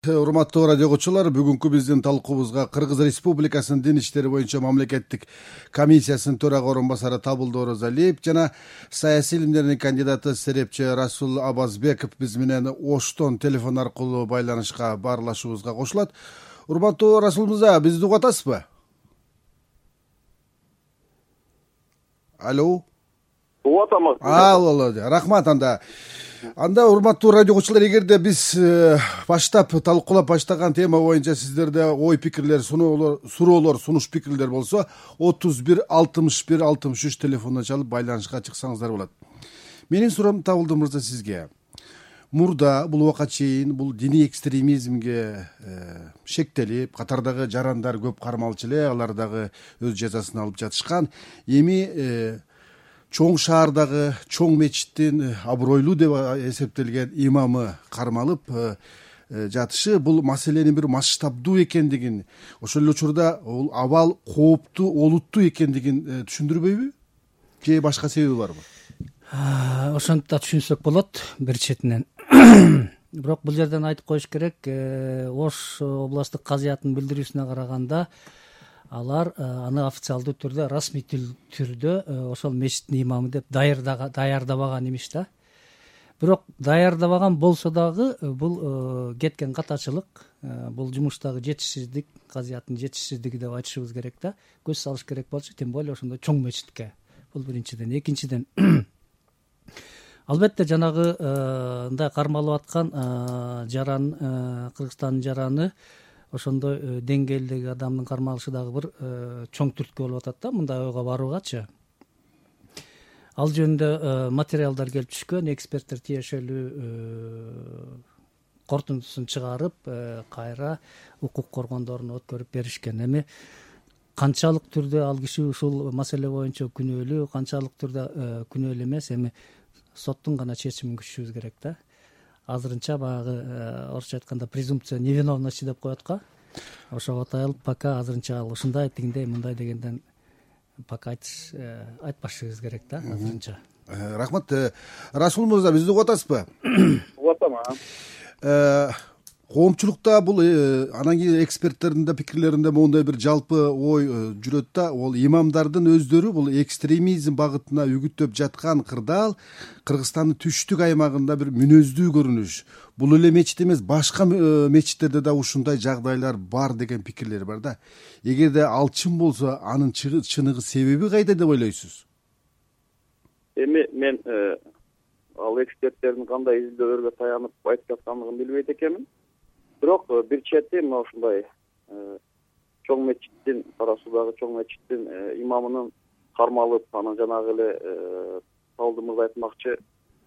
урматтуу радио угуучулар, бүгүнкү биздин талкуубузга Кыргыз Республикасынын дин иштери боюнча мамлекеттик комиссиясынын төрага орун басары Табылды Оразалиев жана саясий илимдердин кандидаты серепчи Расул Абазбеков биз менен Оштон телефон аркылуу байланышка баарлашуубузга кошулат. Урматтуу Расул мырза, бизди угуп атасызбы? Алло. Угуп атам. Рахмат. Анда урматтуу радио угуучулар, эгерде биз баштап талкуулап баштаган тема боюнча сиздерде ой пикирлер, суроолор, сунуш пикирлер болсо 31 61 63 телефонуна чалып байланышка чыксаңыздар болот. Менин суроом Табылды мырза сизге. Мурда бул убакка чейин бул диний экстремизмге шектелип, катардагы жарандар көп кармалчу эле, алар дагы өз жазасын алып жатышкан. Эми чоң шаардагы чоң мечиттин абройлуу деп эсептелген имамы кармалып жатышы бул маселенин бир масштабдуу экендигин, ошол эле учурда бул абал кооптуу, олуттуу экендигин түшүндүрбөйбү? Же башка себеби барбы? Ошентип да түшүнсөк болот бир четинен. Бирок бул жерден айтып коюш керек, Ош областтык казыятынын билдирүүсүнө караганда алар аны официалдуу түрдө, расмий түрдө ошол мечиттин имамы деп даярдабаган имиш да. Бирок даярдабаган болсо дагы бул кеткен катачылык, бул жумуштагы жетишсиздик, казыяттын жетишсиздиги деп айтышыбыз керек да. Көз салыш керек болчу, тем более ошондой чоң мечитке. Бул биринчиден. Экинчиден, албетте жанагы мындай кармалып аткан жаран, Кыргызстандын жараны ошондой деңгээлдеги адамдын кармалышы дагы бир чоң түрткү болуп атат да, мындай ойго баруугачы. Ал жөнүндө материалдар келип түшкөн, эксперттер тиешелүү корутундусун чыгарып, кайра укук коргондоруна өткөрүп беришкен. Эми канчалык түрдө ал киши ушул маселе боюнча күнөөлүү, канчалык түрдө күнөөлүү эмес, эми соттун гана чечимин күтүшүбүз керек да. Азырынча баягы орусча айтканда презумпция невиновности деп коет го. Ошого аталып пока азырынча ал ушундай тигиндей мындай дегенден пока айтпашыбыз керек да азырынча. Рахмат. Расул мырза, бизди угуп атасызбы? Угуп атам. Коомчулукта бул анан кийин эксперттердин да пикирлеринде моундай бир жалпы ой жүрөт да, ол имамдардын өздөрү бул экстремизм багытына үгүттөп жаткан кырдаал Кыргызстандын түштүк аймагында бир мүнөздүү көрүнүш. Бул эле мечит эмес, башка мечиттерде да ушундай жагдайлар бар деген пикирлер бар да. Эгерде ал чын болсо, анын чыныгы себеби кайда деп ойлойсуз? Эми мен ал эксперттердин кандай изилдөөлөргө таянып айтып жаткандыгын билбейт экенмин. Бирок бир чети мына ушундай чоң мечиттин, Кара Суудагы чоң мечиттин имамынын кармалып, анан жанагы эле Табылды мырза айтмакчы,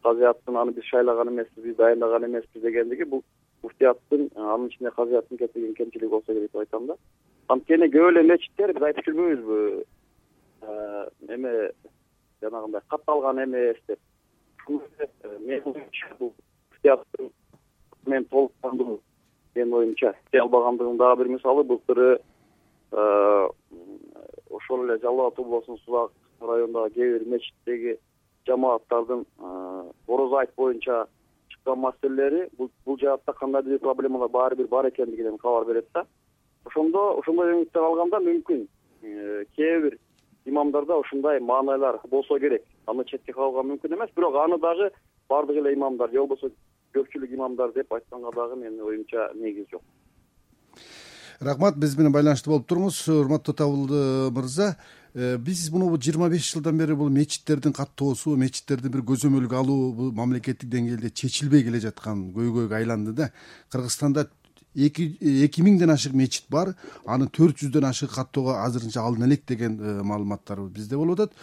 казыяттын аны биз шайлаган эмеспиз, биз дайындаган эмеспиз дегендиги бул муфтияттын, анын ичинде казыяттын кетирген кемчилиги болсо керек деп айтам да. Анткени көп эле мечиттер биз айтып жүрбөйбүзбү, эме жанагындай катталган эмес деп. Мен оюмча бул муфтияттын мен толуктандыруу менин оюмча албагандыгынын дагы бир мисалы былтыры ошол эле Жалал Абад облусунун Сулак районундагы кээ бир мечиттеги жамааттардын орозо айт боюнча чыккан маселелери бул жаатта кандайдыр бир проблемалар баары бир бар экендигинен кабар берет да. Ошондой өңүттөр алганда мүмкүн кээ бир имамдарда ушундай маанайлар болсо керек. Аны четке калууга мүмкүн эмес, бирок аны дагы бардык эле имамдар же болбосо көпчүлүк имамдар деп айтканга дагы менин оюмча негиз жок. Рахмат, биз менен байланышта болуп туруңуз. Урматтуу Табылды мырза, биз муну 25 жылдан бери бул мечиттердин каттоосу, мечиттерди бир көзөмөлгө алуу бул мамлекеттик деңгээлде чечилбей келе жаткан көйгөйгө айланды да. Кыргызстанда 2000ден ашык мечит бар, анын 400дөн ашык каттоого азырынча алына элек деген маалыматтар бизде болуп атат.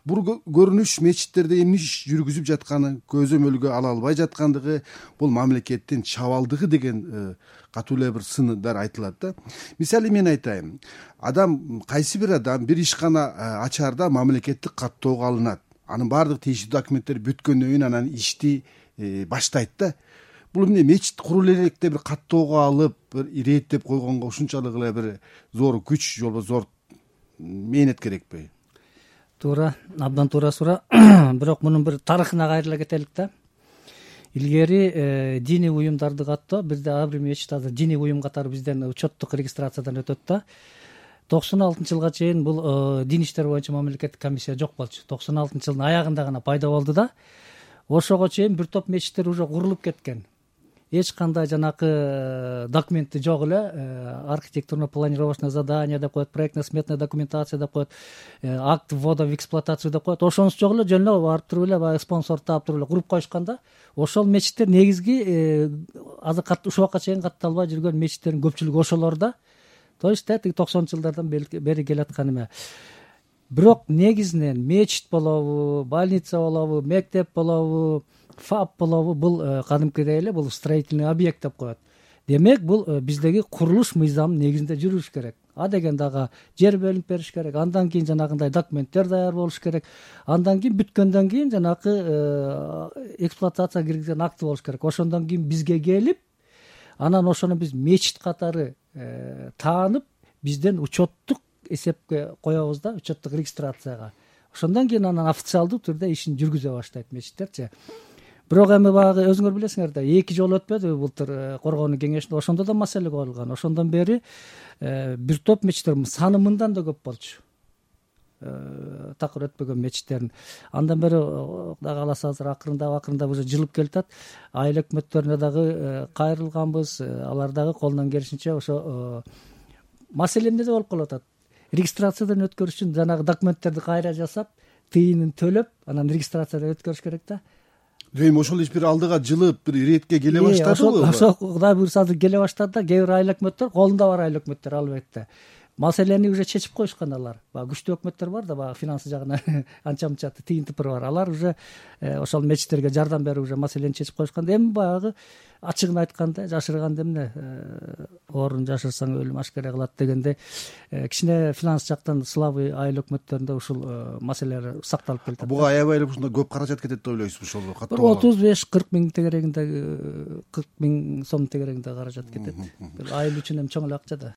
Бул көрүнүш мечиттерде эмне иш жүргүзүп жатканы, көзөмөлгө ала албай жаткандыгы, бул мамлекеттин чабалдыгы деген катуу эле бир сындар айтылат да. Мисалы мен айтайын, кайсы бир адам бир ишкана ачаарда мамлекеттик каттоого алынат. Анын баардык тийиштүү документтери бүткөндөн кийин анан ишти баштайт да. Бул эмне мечит куруу электе бир каттоого алып, бир иреттеп койгонго ушунчалык эле бир зор күч же болбосо зор мээнет керекпи? Туура, абдан туура суроо. Бирок мунун бир тарыхына кайрыла кетелик да. илгери диний уюмдарды каттоо бизде ар бир мечит азыр диний уюм катары бизден учеттук регистрациядан өтөт да. 96 жылга чейин бул дин иштер боюнча мамлекеттик комиссия жок болчу. 96 жылдын аягында гана пайда болду да. Ошого чейин бир топ мечиттер уже курулуп кеткен. Эч кандай жанакы документи жок эле, архитектурно-планировочное задание деп коет, проектно-сметная документация деп коет, акт ввода в эксплуатацию деп коет. Ошонусу жок эле, жөн эле барып туруп эле баягы спонсор таап туруп эле куруп коюшкан да. Ошол мечиттер негизги азыр ушуга чейин катталбай жүргөн мечиттердин көпчүлүгү ошолор да. То есть тиги 90 жылдардан бери келаткан эме. Бирок негизинен мечит болобу, больница болобу, мектеп болобу, ФАП болобу, бул кадимкидей эле бул строительный объект деп коет. Демек бул биздеги курулуш мыйзамынын негизинде жүрүш керек. А деген дагы жер бөлүнүп бериш керек. Андан кийин жанагындай документтер даяр болуш керек. Андан кийин бүткөндөн кийин жанакы эксплуатацияга киргизген акты болуш керек. Ошондон кийин бизге келип, анан ошону биз мечит катары таанып, бизден учеттук эсепке коебуз да, учеттук регистрацияга. Ошондон кийин анан официалдуу түрдө ишин жүргүзө баштайт мечиттерчи. Бирок эми баягы өзүңөр билесиңер да, 2 жолу өтпөдү былтыр коргоонуу кеңешинде, ошондо да маселе коюлган. Ошондон бери бир топ мечиттер саны мындан да көп болчу. Такыр өтпөгөн мечиттердин. Андан бери Кудай кааласа азыр акырындап уже жылып келатат. Айыл өкмөттөрүнө дагы кайрылганбыз. Алар дагы колунан келишинче ошо маселе эмнеде болуп калып атат. Регистрациядан өткөрүш үчүн жанагы документтерди кайра жасап, тыйынын төлөп, анан регистрациядан өткөрүш керек да. Эми ошол иш бир алдыга жылып, бир иретке келе баштадыбы? Ошо Кудай буйрса азыр келе баштады да. Кээ бир айыл өкмөттөр, колунда бар айыл өкмөттөр албетте. Маселени уже чечип коюшкан алар. Баягы күчтүү өкмөттөр бар да, баягы финансы жагынан анча-мынча тыйын тыпыры бар. Алар уже ошол мечиттерге жардам берип уже маселени чечип коюшкан. Эми баягы ачыгын айтканда, жашырганда эмне орун жашырсаң өлүм ашкере кылат дегенде кичине финанс жактан слабый айыл өкмөттөрүндө ушул маселелер сакталып келатат. Буга аябай эле ушундай көп каражат кетет деп ойлойсузбу ошол каттоого? 35-40 миң тегерегинде, 40 миң сом тегерегинде каражат кетет. Айыл үчүн эми чоң эле акча да.